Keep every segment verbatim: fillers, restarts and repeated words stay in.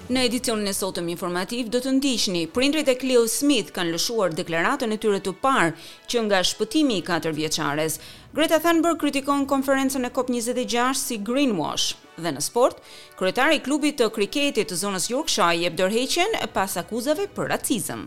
Në edicionin e sotëm informativ do të ndiqni: Prindrit e Cleo Smith kanë lëshuar deklaratën e tyre të parë që nga shpëtimi i katër vjeçares. Greta Thunberg kritikon konferencën e C O P njëzet e gjashtë si greenwash. Dhe në sport, kryetari i klubit të kriketit të zonës Yorkshire jep dorëheqjen pas akuzave për racizëm.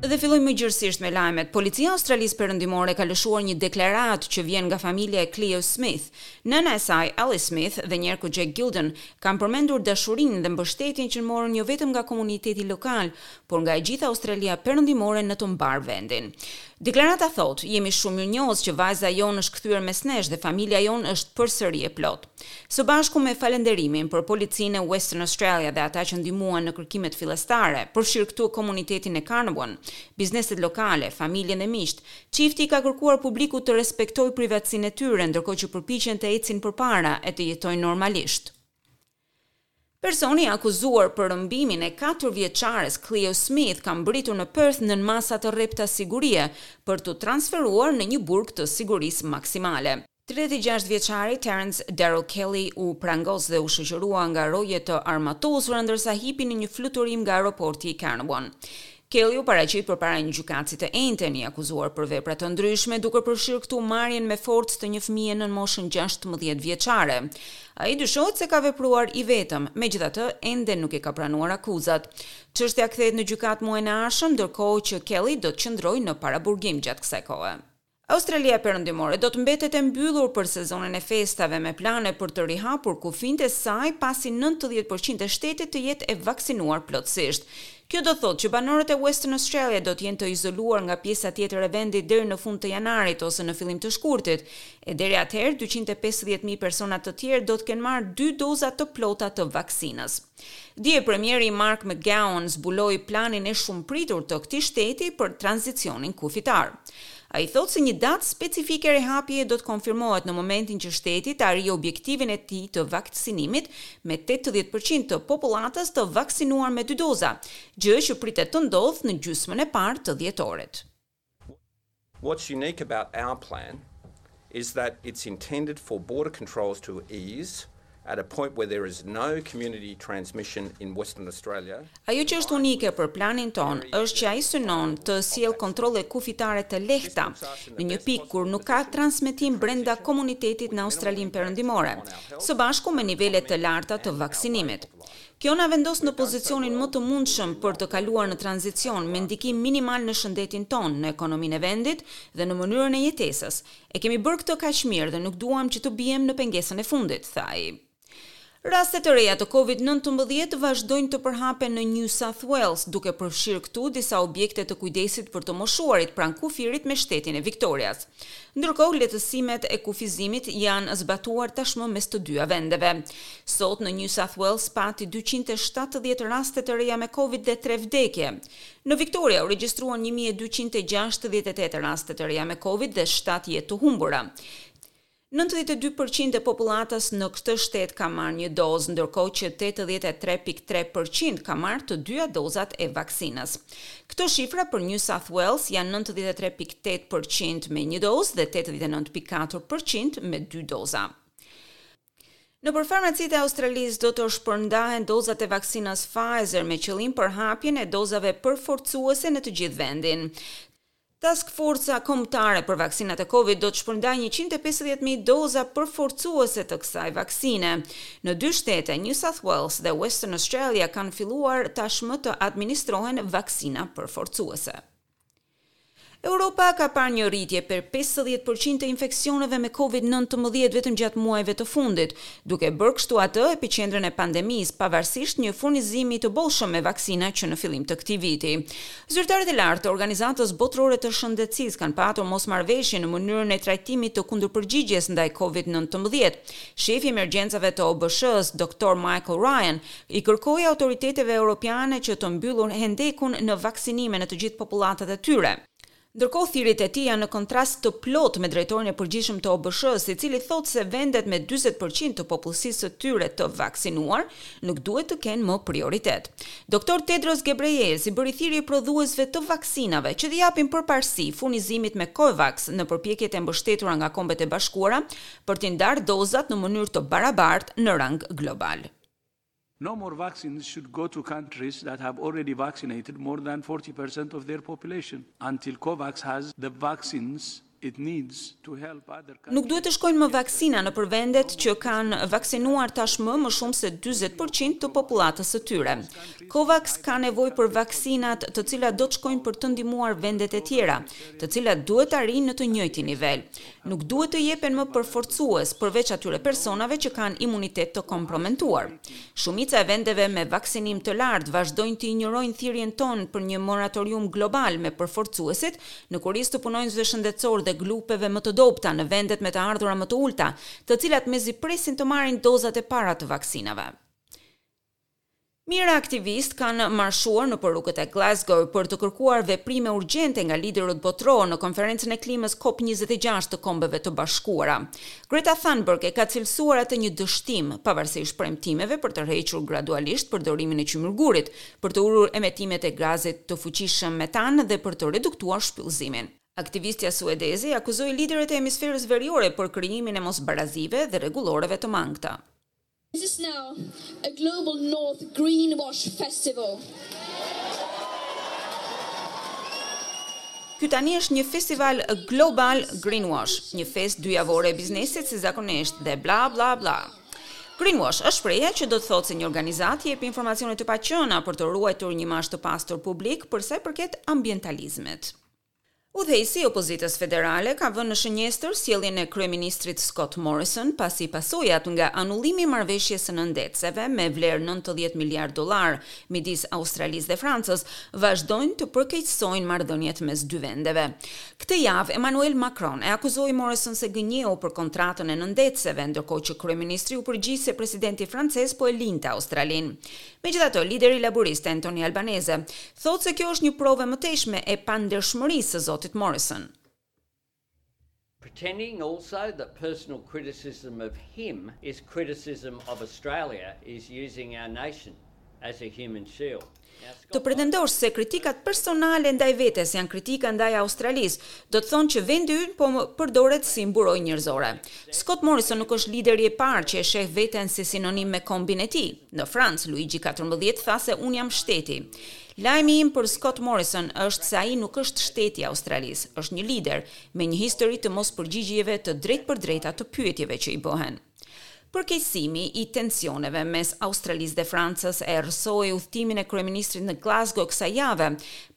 Dhe fillojmë më gjërësisht me lajmet. Policia e Australisë Perëndimore ka lëshuar një deklaratë që vjen nga familja e Cleo Smith. Nëna e saj, Alice Smith, dhe njerku Jack Gilden kanë përmendur dashurinë dhe mbështetjen që morën jo vetëm nga komuniteti lokal, por nga e gjitha Australia Perëndimore në të mbarë vendin. Deklarata thotë: "Jemi shumë mirënjohës që vajza jonë është kthyer mes nesh dhe familja jonë është përsëri e plotë." Së bashku me falenderimin për policinë e Western Australia dhe ata që ndihmuan në kërkimet fillestare, përfshirë këtu komunitetin e Carnarvon, bizneset lokale, familjen dhe miqtë, çifti ka kërkuar publikut të respektojë privatësinë e tyre, ndërkohë që përpiqen të ecin përpara e të jetojnë normalisht. Personi i akuzuar për rrëmbimin e katër vjeçares Cleo Smith ka mbërritur në Perth nën masa të rrepta sigurie për t'u transferuar në një burg të sigurisë maksimale. tridhjetë e gjashtë vjeçari Terence Darrell Kelly u prangos dhe u shoqërua nga roje të armatosura ndërsa hipi në një fluturim nga aeroporti i Carnarvon. Kelly u paraqit përpara një gjykatësi të enjten, i akuzuar për vepra të ndryshme, duke përfshirë këtu marrjen me forcë të një fëmije nën moshën gjashtëmbëdhjetë vjeçare. Ai dyshohet se ka vepruar i vetëm, megjithatë ende nuk i ka pranuar akuzat. Çështja kthehet në gjykatë muajin e ardhshëm, ndërkohë që Kelly do të qëndrojë në paraburgim gjatë kësaj kohe. Australia Perëndimore do të mbetet e mbyllur për sezonin e festave, me plane për të rihapur kufinjtë e saj pasi nëntëdhjetë përqind e shtetit të jetë e vaksinuar plotësisht. Kjo do thotë që banorët e Western Australia do të jenë të izoluar nga pjesa tjetër e vendit deri në fund të janarit ose në fillim të shkurtit, e deri atëherë dyqind e pesëdhjetë mijë persona të tjerë do të kenë marrë dy doza të plota të vaksinës. Dje premieri Mark McGowan zbuloi planin e shumëpritur të këtij shteti për tranzicionin kufitar. Ai thotë se një datë specifike rihapje do të konfirmohet në momentin që shteti të arrijë objektivin e tij të vaksinimit me tetëdhjetë përqind të popullatës të vaksinuar me dy doza, gjë që pritet të ndodhë në gjysmën e parë të dhjetorit. What's unique about our plan is that it's intended for border controls to ease at a point where there is no community transmission in Western Australia. Ajo që është unike për planin tonë është që ai synon të sjellë kontrolle kufitare të lehta në një pikë kur nuk ka transmetim brenda komunitetit në Australinë Perëndimore, së bashku me nivele të larta të vaksinimit. Kjo na vendos në pozicionin më të mundshëm për të kaluar në tranzicion me ndikim minimal në shëndetin tonë, në ekonominë e vendit dhe në mënyrën e jetesës. E kemi bërë këtë kaq mirë dhe nuk duam që të biem në pengesën e fundit, tha ai. Raste të reja të Covid nëntëmbëdhjetë vazhdojnë të përhapen në New South Wales, duke përfshirë këtu disa objekte të kujdesit për të moshuarit pranë kufirit me shtetin e Victorias. Ndërkohë, lehtësimet e kufizimit janë zbatuar tashmë mes të dyja vendeve. Sot në New South Wales pati dyqind e shtatëdhjetë raste të reja me Covid dhe tre vdekje. Në Victoria u regjistruan një mijë e dyqind e gjashtëdhjetë e tetë raste të reja me Covid dhe shtatë jetë të humbura. nëntëdhjetë e dy përqind e popullatës në këtë shtet ka marrë një dozë, ndërkohë që tetëdhjetë e tre pikë tre përqind ka marrë të dyja dozat e vaksinës. Këto shifra për New South Wales janë nëntëdhjetë e tre pikë tetë përqind me një dozë dhe tetëdhjetë e nëntë pikë katër përqind me dy doza. Në për farmacitë e Australisë do të shpërndahen dozat e vaksinës Pfizer me qëllim për hapjen e dozave përforcuese në të gjithë vendin. Task Forca Kombëtare për vaksinat e Covid do të shpërndajë njëqind e pesëdhjetë mijë doza përforcuese të kësaj vaksine. Në dy shtete, New South Wales dhe Western Australia, kanë filluar tashmë të administrohen vaksina përforcuese. Europa ka parë një rritje për pesëdhjetë përqind të infeksioneve me Covid nëntëmbëdhjetë vetëm gjatë muajve të fundit, duke bërë kështu atë epiqendrën e pandemisë, pavarësisht një furnizimi të bollshëm me vaksina që në fillim të këtij viti. Zyrtarët e lartë të Organizatës Botërore të Shëndetësisë kanë patur mosmarrëveshje në mënyrën e trajtimit të kundërpërgjigjes ndaj Covid nëntëmbëdhjetë. Shefi i emergjencave të O B SH-s, Doktor Michael Ryan, i kërkoi autoriteteve europiane që të mbyllur hendekun në vaksinime në të gjithë popullatat e tyre. Ndërkohë thirrjet e tij janë në kontrast të plotë me drejtorin e përgjithshëm të O B Sh-së, i cili thotë se vendet me dyzet për qind të popullsisë së tyre të vaksinuar nuk duhet të kenë më prioritet. Doktor Tedros Ghebreyesus i bëri thirrje prodhuesve të vaksinave që t'i japin përparësi furnizimit me COVAX në përpjekjet e mbështetura nga Kombet e Bashkuara për t'i ndarë dozat në mënyrë të barabartë në rang global. No more vaccines should go to countries that have already vaccinated more than forty percent of their population until COVAX has the vaccines it needs to help other countries. Nuk duhet të shkojnë më vaksina në për vendet që kanë vaksinuar tashmë më shumë se dyzet për qind të popullatës së tyre. COVAX ka nevojë për vaksinat, të cilat do të shkojnë për të ndihmuar vendet e tjera, të cilat duhet të arrijnë në të njëjtin nivel. Nuk duhet të jepen më përforcues përveç atyre personave që kanë imunitet të kompromentuar. Shumica e vendeve me vaksinim të lartë vazhdojnë të injorojnë thirrjen tonë për një moratorium global me përforcuesit në kurriz të punonjësve shëndetësor dhe grupeve më të dobëta në vendet me të ardhura më të ulta, të cilat mezi presin të marrin dozat e para të vaksinave. Mijëra aktivistë kanë marshuar në rrugët e Glasgow për të kërkuar veprime urgjente nga liderët botëror në konferencën e klimës C O P njëzet e gjashtë të Kombeve të Bashkuara. Greta Thunberg e ka cilësuar atë një dështim, pavarësisht premtimeve për të tërhequr gradualisht përdorimin e qymyrgurit, për të ulur emetimet e gazit të fuqishëm metan dhe për të reduktuar shpyllëzimin. Aktivistja suedeze akuzoi liderët e hemisferës veriore për krijimin e mosbarazive dhe rregulloreve të mangëta. This is now a Global North Greenwash Festival. Ky tani është një festival global greenwash, një festë dyjavore e biznesit si zakonisht dhe bla bla bla. Greenwash është shprehja që do të thotë se një organizatë jep informacione të paqena për të ruajtur një imazh të pastër publik për sa i përket ambientalizmit. Udhëheqësi i opozitës federale ka vënë në shënjestër sjelljen e kryeministrit Scott Morrison pasi pasojat nga anullimi i marrëveshjes së nëndetëseve me vlerë nëntëdhjetë miliard dollar midis Australisë dhe Francës vazhdojnë të përkeqësojnë marrëdhëniet mes dy vendeve. Këtë javë Emmanuel Macron e akuzoi Morrison se gënjeu për kontratën e nëndetëseve, ndërkohë që kryeministri u përgjigj se presidenti francez po e linte Australinë. Megjithatë, lideri laborist Anthony Albanese thotë se kjo është një provë e mëtejshme e pandershmërisë së zotit Morrison. Pretending also that personal criticism of him is criticism of Australia is using our nation as a human shield. Të pretendosh se kritikat personale ndaj vetes janë kritika ndaj Australisë, do të thonë që vendi ynë po përdoret si mburojë njerëzore. Scott Morrison nuk është lideri i parë që e sheh veten si sinonim me kombin e tij. Në Francë, Luigi katërmbëdhjetë tha se unë jam shteti. Lajmi im për Scott Morrison është se ai nuk është shteti i Australisë, është një lider me një histori të mos përgjigjjeve të drejtpërdrejta të pyetjeve që i bëhen. Përkeqësimi i tensioneve mes Australisë dhe Francës e errësoi udhëtimin e kryeministrit në Glasgow kësaj jave,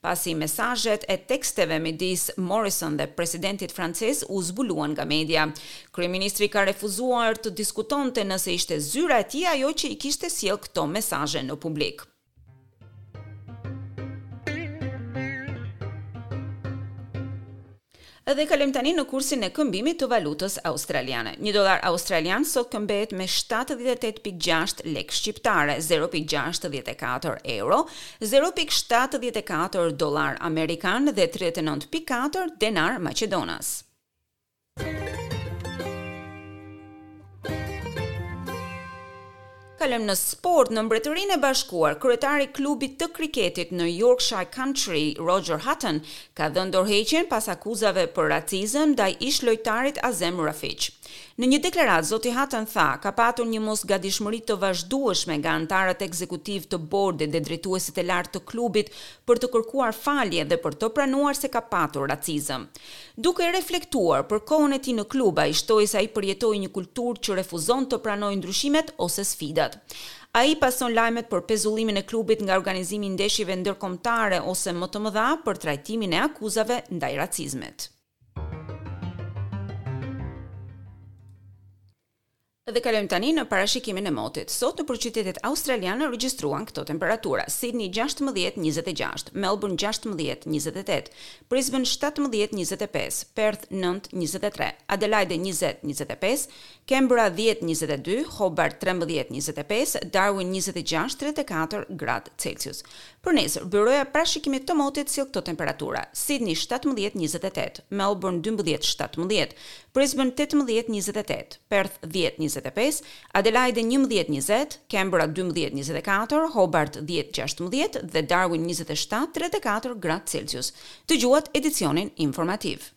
pasi mesazhet e teksteve midis Morrison dhe presidentit francez u zbuluan nga media. Kryeministri ka refuzuar të diskutonte nëse ishte zyra e tij ajo që i kishte sjellë këto mesazhe në publik. Edhe kalojmë tani në kursin e këmbimit të valutës australiane. Një dolar australian sot këmbehet me shtatëdhjetë e tetë pikë gjashtë lek shqiptare, zero pikë gjashtëdhjetë e katër euro, zero pikë shtatëdhjetë e katër dolar amerikan dhe tridhjetë e nëntë pikë katër denar maqedonas. Kalojmë në sport. Në Mbretërinë e Bashkuar, kryetari i klubit të kriketit në Yorkshire County, Roger Hutton, ka dhënë dorëheqjen pas akuzave për racizëm ndaj ish-lojtarit Azem Rafiq. Në një deklaratë, zoti Hutton tha, ka patur një mosgatishmëri të vazhdueshme nga anëtarët ekzekutiv të bordit dhe drejtuesit e lartë të klubit për të kërkuar falje dhe për të pranuar se ka patur racizëm. Duke reflektuar për kohën e tij në klub, ai shtoi se ai përjetoi një kulturë që refuzon të pranojë ndryshimet ose sfidat. Ai pason lajmet për pezullimin e klubit nga organizimi i ndeshjeve ndërkombëtare ose më të mëdha për trajtimin e akuzave ndaj racizmit. Dhe kalojmë tani në parashikimin e motit. Sot në qytetet australiane regjistruan këto temperatura: Sydney gjashtëmbëdhjetë njëzet e gjashtë, Melbourne gjashtëmbëdhjetë njëzet e tetë, Brisbane shtatëmbëdhjetë njëzet e pesë, Perth nëntë njëzet e tre, Adelaide njëzet njëzet e pesë, Canberra dhjetë njëzet e dy, Hobart trembëdhjetë njëzet e pesë, Darwin njëzet e gjashtë tridhjetë e katër gradë Celsius. Për nesër, byroja parashikimit të motit sjell këto temperatura: Sydney shtatëmbëdhjetë njëzet e tetë, Melbourne dymbëdhjetë shtatëmbëdhjetë, Brisbane tetëmbëdhjetë njëzet e tetë, Perth dhjetë njëzet e pesë, Adelaide njëmbëdhjetë njëzet, Canberra dymbëdhjetë njëzet e katër, Hobart dhjetë gjashtëmbëdhjetë dhe Darwin njëzet e shtatë tridhjetë e katër gradë Celsius. Dëgjuat edicionin informativ.